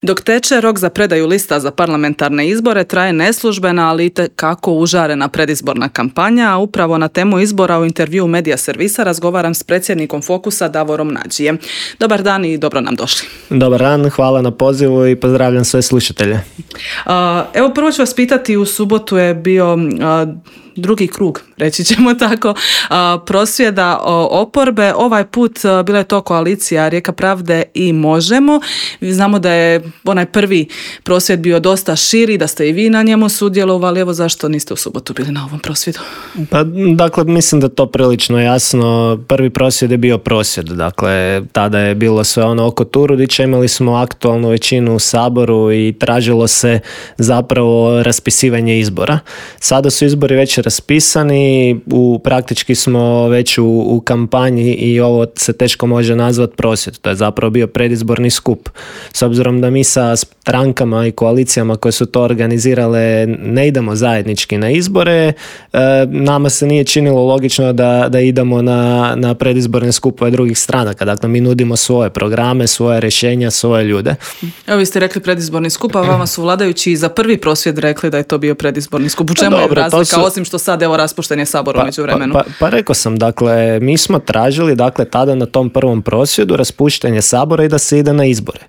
Dok teče rok za predaju lista za parlamentarne izbore, traje neslužbena, ali itekako užarena predizborna kampanja, a upravo na temu izbora u intervjuu Medija servisa razgovaram s predsjednikom Fokusa Davorom Nađijem. Dobar dan i dobro nam došli. Dobar dan, hvala na pozivu i pozdravljam sve slušatelje. Evo prvo ću vas pitati, u subotu je bio drugi krug, reći ćemo tako, prosvjeda oporbe. Ovaj put bila je to koalicija Rijeka pravde i Možemo. Znamo da je onaj prvi prosvjed bio dosta širi, da ste i vi na njemu sudjelovali. Evo zašto niste u subotu bili na ovom prosvjedu? Pa, dakle, mislim da to prilično jasno. Prvi prosvjed je bio prosvjed. Dakle, tada je bilo sve ono oko Turudića. Imali smo aktualnu većinu u Saboru i tražilo se zapravo raspisivanje izbora. Sada su izbori već raspisani, praktički smo već u kampanji i ovo se teško može nazvati prosvjed. To je zapravo bio predizborni skup. S obzirom da mi sa strankama i koalicijama koje su to organizirale ne idemo zajednički na izbore, nama se nije činilo logično da idemo na predizborne skupove drugih stranaka. Dakle, mi nudimo svoje programe, svoje rješenja, svoje ljude. Evo, vi ste rekli predizborni skup, a vama su vladajući za prvi prosvjed rekli da je to bio predizborni skup. U čemu je razlika, osim što sad evo raspušten je Sabor u međuvremenu? Pa rekao sam, dakle, mi smo tražili, dakle, tada na tom prvom prosvjedu raspuštanje Sabora i da se ide na izbore.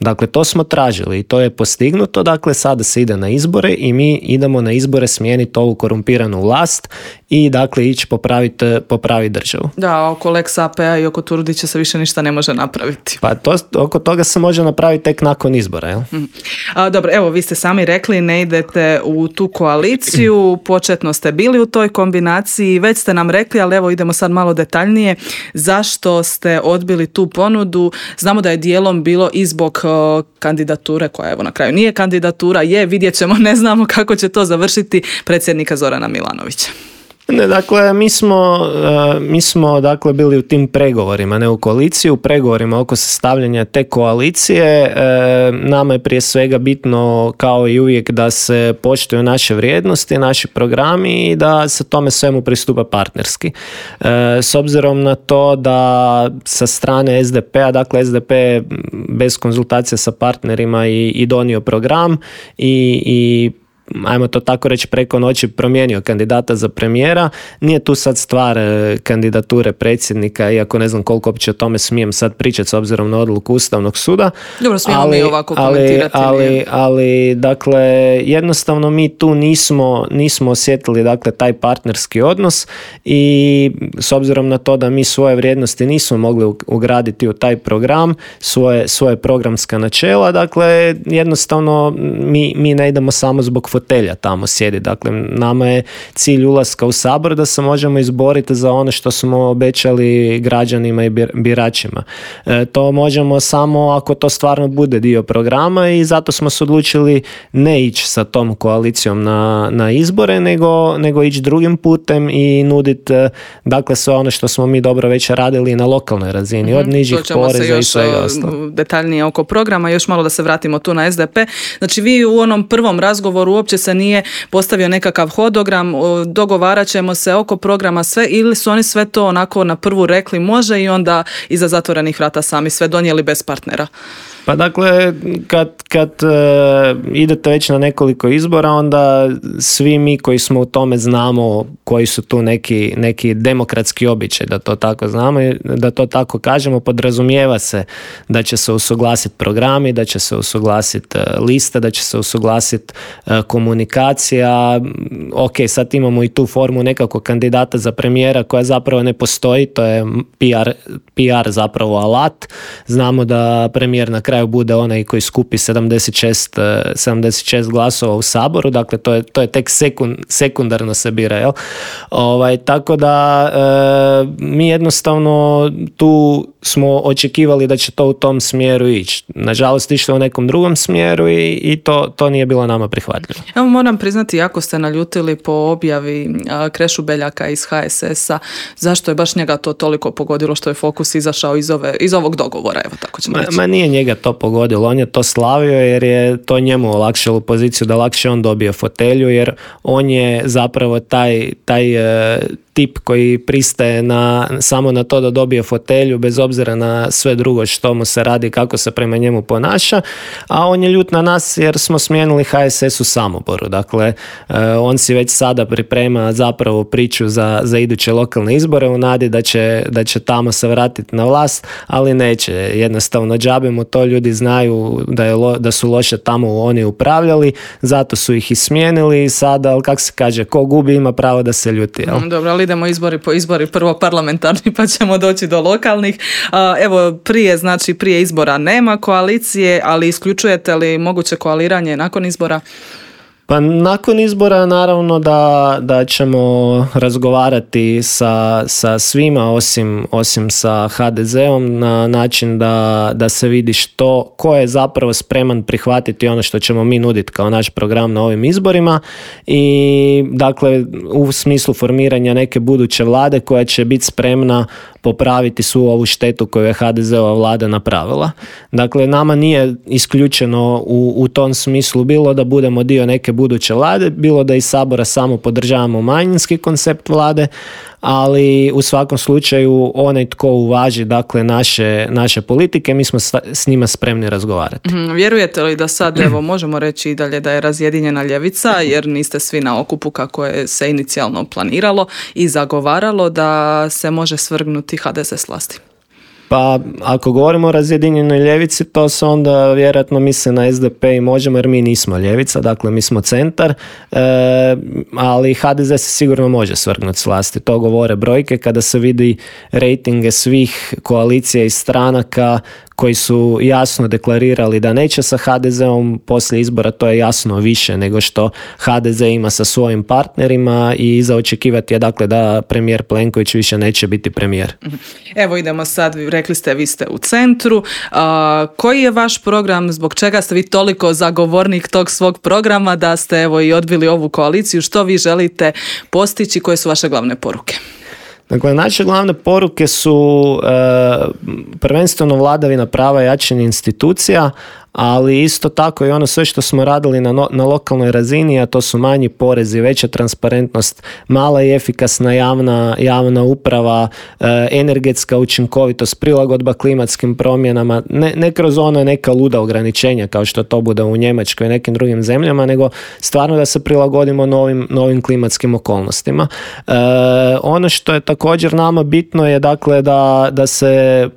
Dakle, to smo tražili i to je postignuto, dakle, sada se ide na izbore i mi idemo na izbore smijeniti ovu korumpiranu vlast i, dakle, ići popraviti državu. Da, oko Lex AP-a i oko Turudića se više ništa ne može napraviti. Pa oko toga se može napraviti tek nakon izbora, jel? Dobro, evo, vi ste sami rekli, ne idete u tu koaliciju, početno ste bili u toj kombinaciji, već ste nam rekli, ali evo idemo sad malo detaljnije, zašto ste odbili tu ponudu? Znamo da je dijelom bilo i zbog kandidature, koja evo na kraju nije kandidatura, vidjet ćemo, ne znamo kako će to završiti, predsjednika Zorana Milanovića. Ne, dakle, mi smo dakle bili u tim pregovorima, ne u koaliciji, u pregovorima oko sastavljanja te koalicije. Nama je prije svega bitno, kao i uvijek, da se poštuju naše vrijednosti, naši programi i da se tome svemu pristupa partnerski. S obzirom na to da sa strane SDP-a, dakle SDP bez konzultacija sa partnerima i donio program i ajmo to tako reći, preko noći promijenio kandidata za premijera. Nije tu sad stvar kandidature predsjednika, iako ne znam koliko uopće o tome smijem sad pričati s obzirom na odluku Ustavnog suda. Dobro, smijemo mi ovako komentirati. Ali, dakle, jednostavno mi tu nismo osjetili, dakle, taj partnerski odnos i s obzirom na to da mi svoje vrijednosti nismo mogli ugraditi u taj program, svoje programska načela, dakle, jednostavno mi ne idemo samo zbog fotelja tamo sjedi. Dakle, nama je cilj ulaska u Sabor da se možemo izboriti za ono što smo obećali građanima i biračima. To možemo samo ako to stvarno bude dio programa i zato smo se odlučili ne ići sa tom koalicijom na izbore, nego ići drugim putem i nuditi, dakle, sve ono što smo mi dobro već radili na lokalnoj razini, od nižih poreza i svega ostalo. Detaljnije oko programa, još malo da se vratimo tu na SDP. Znači, vi u onom prvom razgovoru uopće se nije postavio nekakav hodogram, dogovarat ćemo se oko programa sve, ili su oni sve to onako na prvu rekli može i onda iza zatvorenih vrata sami sve donijeli bez partnera? Pa dakle, kad idete već na nekoliko izbora, onda svi mi koji smo u tome znamo koji su tu neki demokratski običaj, da to tako znamo i da to tako kažemo, podrazumijeva se da će se usuglasiti programi, da će se usuglasiti liste, da će se usuglasiti komunikacija. Ok, sad imamo i tu formu nekakvog kandidata za premijera koja zapravo ne postoji, to je PR zapravo alat. Znamo da premijer na kraju bude onaj koji skupi 76 glasova u Saboru, dakle to je tek sekundarno se bira, jel? Tako da mi jednostavno tu smo očekivali da će to u tom smjeru ići. Nažalost, išlo u nekom drugom smjeru i to nije bilo nama prihvatljivo. Evo, moram priznati, jako ste naljutili po objavi Krešu Beljaka iz HSS-a. Zašto je baš njega to toliko pogodilo što je Fokus izašao iz ovog dogovora? Evo, tako ćemo reći. Ma nije njega to pogodilo, on je to slavio jer je to njemu olakšalo poziciju da lakše on dobije fotelju, jer on je zapravo taj tip koji pristaje samo na to da dobije fotelju bez obzira na sve drugo što mu se radi, kako se prema njemu ponaša, a on je ljut na nas jer smo smijenili HSS u Samoboru. Dakle, on si već sada priprema zapravo priču za iduće lokalne izbore u nadi da će tamo se vratiti na vlast, ali neće. Jednostavno džabe mu to, ljudi znaju da su loše tamo oni upravljali, zato su ih i smijenili i sada, ali kako se kaže, ko gubi ima pravo da se ljuti. Jel? Dobro, ali idemo izbori po izbori, prvo parlamentarni pa ćemo doći do lokalnih. Evo, prije izbora nema koalicije, ali isključujete li moguće koaliranje nakon izbora? Pa nakon izbora naravno da ćemo razgovarati sa svima osim sa HDZ-om na način da se vidi ko je zapravo spreman prihvatiti ono što ćemo mi nuditi kao naš program na ovim izborima i dakle u smislu formiranja neke buduće vlade koja će biti spremna popraviti svu ovu štetu koju je HDZ-ova vlada napravila. Dakle, nama nije isključeno u tom smislu bilo da budemo dio neke buduće vlade, bilo da iz Sabora samo podržavamo manjinski koncept vlade, ali u svakom slučaju onaj tko uvaži dakle naše politike, mi smo s njima spremni razgovarati. Vjerujete li da sad, evo, možemo reći i dalje da je razjedinjena ljevica, jer niste svi na okupu kako je se inicijalno planiralo i zagovaralo da se može svrgnuti HDZ s vlasti? Pa ako govorimo o razjedinjenoj ljevici, to se onda vjerojatno misle na SDP i Možemo, jer mi nismo ljevica, dakle mi smo centar, ali HDZ se sigurno može svrgnuti s vlasti. To govore brojke kada se vidi rejtinge svih koalicija i stranaka koji su jasno deklarirali da neće sa HDZ-om poslije izbora, to je jasno više nego što HDZ ima sa svojim partnerima i za očekivati je dakle da premijer Plenković više neće biti premijer. Evo idemo sad, rekli ste vi ste u centru. Koji je vaš program, zbog čega ste vi toliko zagovornik tog svog programa da ste evo i odbili ovu koaliciju, što vi želite postići, koje su vaše glavne poruke? Dakle, naše glavne poruke su prvenstveno vladavina prava i jačanje institucija, ali isto tako i ono sve što smo radili na lokalnoj razini, a to su manji porezi, veća transparentnost, mala i efikasna javna uprava, energetska učinkovitost, prilagodba klimatskim promjenama, ne kroz ono neka luda ograničenja kao što to bude u Njemačkoj i nekim drugim zemljama, nego stvarno da se prilagodimo novim klimatskim okolnostima. Ono što je također nama bitno je dakle da se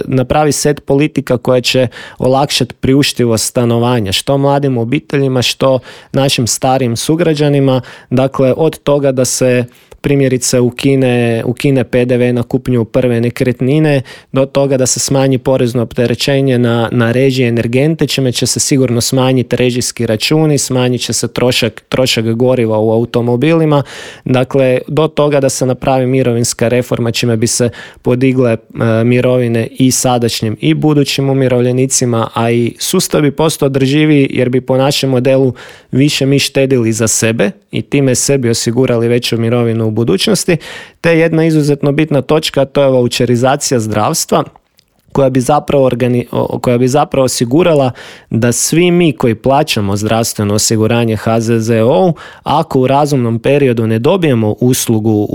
napravi set politika koja će olakšati priuštivost stanovanja, što mladim obiteljima, što našim starijim sugrađanima, dakle od toga da se primjerice ukine PDV na kupnju prve nekretnine, do toga da se smanji porezno opterećenje na režije energente, čime će se sigurno smanjiti režijski računi, smanjit će se trošak goriva u automobilima, dakle do toga da se napravi mirovinska reforma čime bi se podigle mirovine i sadašnjim i budućim umirovljenicima, a i sustav bi postao održiviji jer bi po našem modelu više mi štedili za sebe i time sebi osigurali veću mirovinu u budućnosti, te jedna izuzetno bitna točka, to je vaučerizacija zdravstva koja bi zapravo osigurala da svi mi koji plaćamo zdravstveno osiguranje HZZO, ako u razumnom periodu ne dobijemo uslugu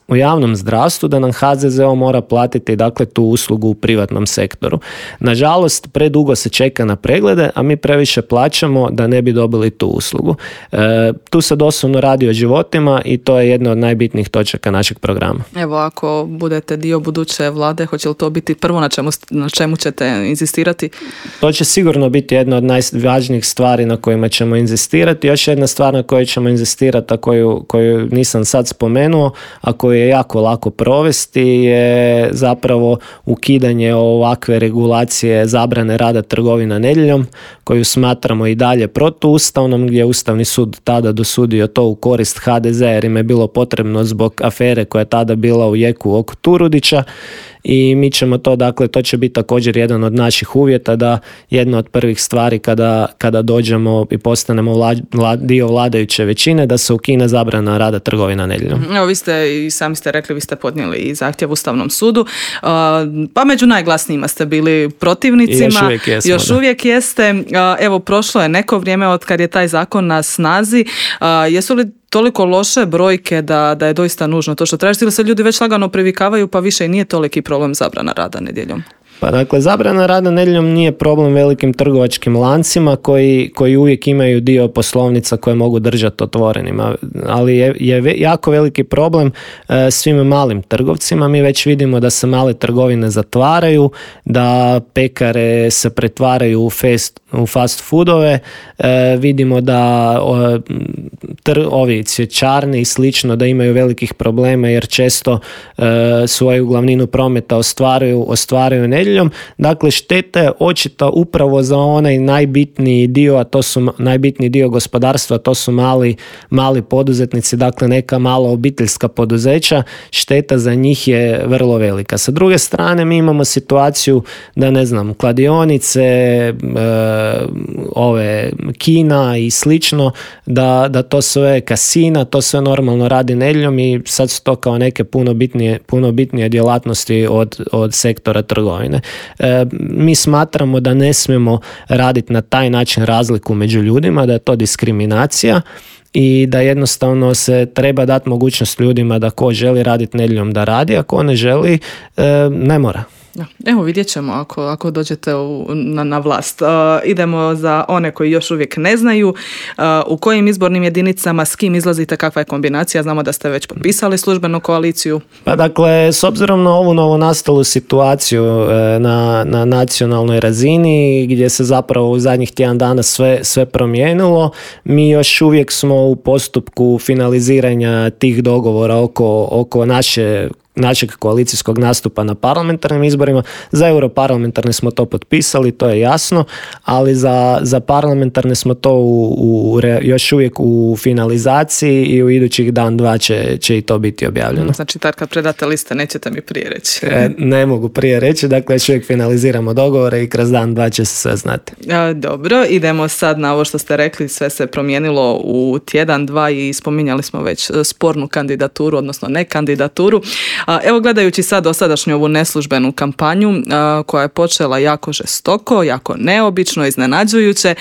u javnom zdravstvu, da nam HZZO mora platiti dakle tu uslugu u privatnom sektoru. Nažalost, predugo se čeka na preglede, a mi previše plaćamo da ne bi dobili tu uslugu. Tu se doslovno radi o životima i to je jedna od najbitnijih točaka našeg programa. Evo, ako budete dio buduće vlade, hoće li to biti prvo na čemu ćete inzistirati? To će sigurno biti jedna od najvažnijih stvari na kojima ćemo inzistirati. Još jedna stvar na kojoj ćemo inzistirati, a koju nisam sad spomenuo, a koju je jako lako provesti, je zapravo ukidanje ovakve regulacije zabrane rada trgovina nedjeljom, koju smatramo i dalje protuustavnom, gdje je Ustavni sud tada dosudio to u korist HDZ jer im je bilo potrebno zbog afere koja je tada bila u jeku oko Turudića. I mi ćemo to će biti također jedan od naših uvjeta da jedna od prvih stvari kada dođemo i postanemo dio vladajuće većine, da se ukine zabrana rada trgovina nedjeljom. Evo, vi ste i sami ste rekli, vi ste podnijeli i zahtjev Ustavnom sudu, pa među najglasnijima ste bili protivnicima. I još uvijek jeste. Evo, prošlo je neko vrijeme od kad je taj zakon na snazi. Jesu li toliko loše brojke da je doista nužno to što tražite, ili se ljudi već lagano privikavaju pa više i nije toliki problem zabrana rada nedjeljom? Pa dakle, zabrana rada nedjeljom nije problem velikim trgovačkim lancima koji uvijek imaju dio poslovnica koje mogu držati otvorenima, ali je jako veliki problem svim malim trgovcima. Mi već vidimo da se male trgovine zatvaraju, da pekare se pretvaraju u fast foodove, vidimo da ovi cvjećarni i slično da imaju velikih problema jer često svoju glavninu prometa ostvaruju nedjeljom. Dakle, šteta je očita upravo za onaj najbitniji dio, a to su najbitniji dio gospodarstva, to su mali poduzetnici, dakle neka mala obiteljska poduzeća, šteta za njih je vrlo velika. Sa druge strane, mi imamo situaciju da, ne znam, kladionice, kina i slično, da to sve kasina, to sve normalno radi nedjeljom i sad su to kao neke puno bitnije djelatnosti od sektora trgovine. Mi smatramo da ne smijemo raditi na taj način razliku među ljudima, da je to diskriminacija i da jednostavno se treba dati mogućnost ljudima da ko želi raditi nedjeljom da radi, a ko ne želi ne mora. Evo, vidjet ćemo ako dođete na vlast. Idemo za one koji još uvijek ne znaju. U kojim izbornim jedinicama, s kim izlazite, kakva je kombinacija? Znamo da ste već potpisali službenu koaliciju. Pa dakle, s obzirom na ovu novonastalu situaciju na nacionalnoj razini, gdje se zapravo u zadnjih tjedan dana sve promijenilo, mi još uvijek smo u postupku finaliziranja tih dogovora oko našeg koalicijskog nastupa na parlamentarnim izborima. Za europarlamentarne smo to potpisali, to je jasno, ali za parlamentarne smo to još uvijek u finalizaciji i u idućih dan, dva će i to biti objavljeno. Znači, tad kad predate liste, nećete mi prije reći. Ne mogu prije reći, dakle još uvijek finaliziramo dogovore i kroz dan, dva će se sve znati. Dobro, idemo sad na ovo što ste rekli, sve se promijenilo u tjedan, dva i spominjali smo već spornu kandidaturu, odnosno ne kandidaturu. Evo, gledajući sad dosadašnju ovu neslužbenu kampanju koja je počela jako žestoko, jako neobično, iznenađujuće,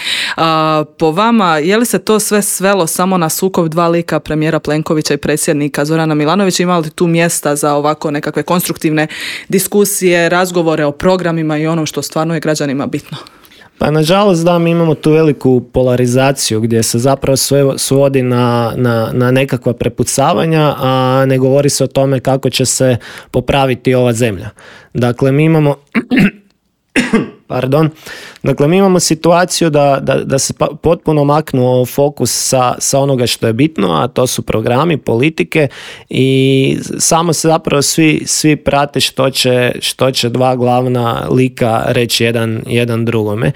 po vama je li se to sve svelo samo na sukob dva lika, premijera Plenkovića i predsjednika Zorana Milanovića? Ima li tu mjesta za ovako nekakve konstruktivne diskusije, razgovore o programima i onom što stvarno je građanima bitno? Pa nažalost da, mi imamo tu veliku polarizaciju gdje se zapravo sve svodi na nekakva prepucavanja, a ne govori se o tome kako će se popraviti ova zemlja. Dakle, mi imamo Dakle, mi imamo situaciju da se potpuno maknuo fokus sa onoga što je bitno, a to su programi, politike i samo se zapravo svi prate što će dva glavna lika reći jedan drugome.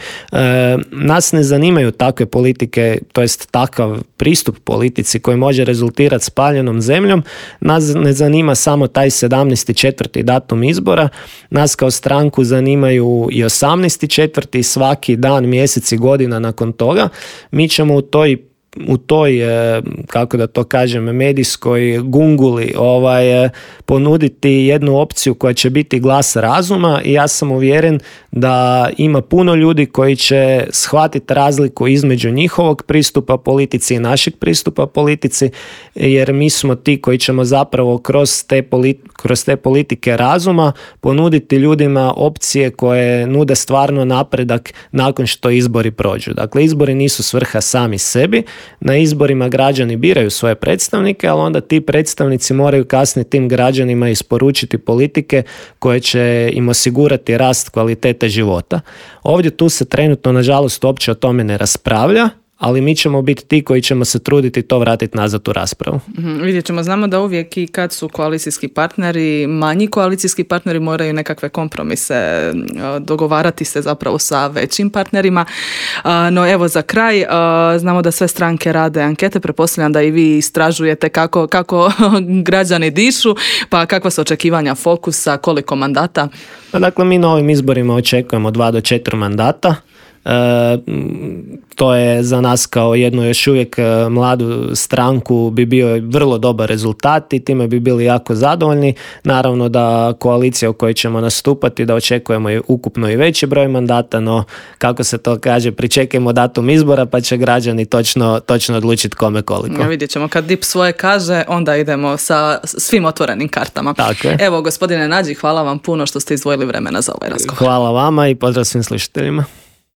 Nas ne zanimaju takve politike, to jest takav pristup politici koji može rezultirati spaljenom zemljom. Nas ne zanima samo taj 17.4. datum izbora, nas kao stranku zanimaju i 18.4. svaki dan, mjesec i godina nakon toga. Mi ćemo u toj, kako da to kažem, medijskoj gunguli ponuditi jednu opciju koja će biti glas razuma i ja sam uvjeren da ima puno ljudi koji će shvatiti razliku između njihovog pristupa politici i našeg pristupa politici, jer mi smo ti koji ćemo zapravo kroz te politike razuma ponuditi ljudima opcije koje nude stvarno napredak nakon što izbori prođu. Dakle, izbori nisu svrha sami sebi. Na izborima građani biraju svoje predstavnike, ali onda ti predstavnici moraju kasnije tim građanima isporučiti politike koje će im osigurati rast kvalitete života. Ovdje tu se trenutno, nažalost, uopće o tome ne raspravlja, ali mi ćemo biti ti koji ćemo se truditi to vratiti nazad u raspravu. Vidjet ćemo, znamo da uvijek i kad su koalicijski partneri, manji koalicijski partneri moraju nekakve kompromise dogovarati se zapravo sa većim partnerima. No evo, za kraj, znamo da sve stranke rade ankete, pretpostavljam da i vi istražujete kako građani dišu, pa kakva su očekivanja fokusa, koliko mandata? Dakle, mi na ovim izborima očekujemo 2 do 4 mandata. To je za nas kao jednu još uvijek mladu stranku bi bio vrlo dobar rezultat i time bi bili jako zadovoljni. Naravno da koalicija u kojoj ćemo nastupati, da očekujemo i ukupno i veći broj mandata, no kako se to kaže, pričekajmo datum izbora pa će građani točno odlučiti kome koliko. Ja, vidjet ćemo, kad DIP svoje kaže, onda idemo sa svim otvorenim kartama. Tako je. Evo, gospodine Nađi, hvala vam puno što ste izdvojili vremena za ovaj razgovor. Hvala vama i pozdrav svim slušateljima.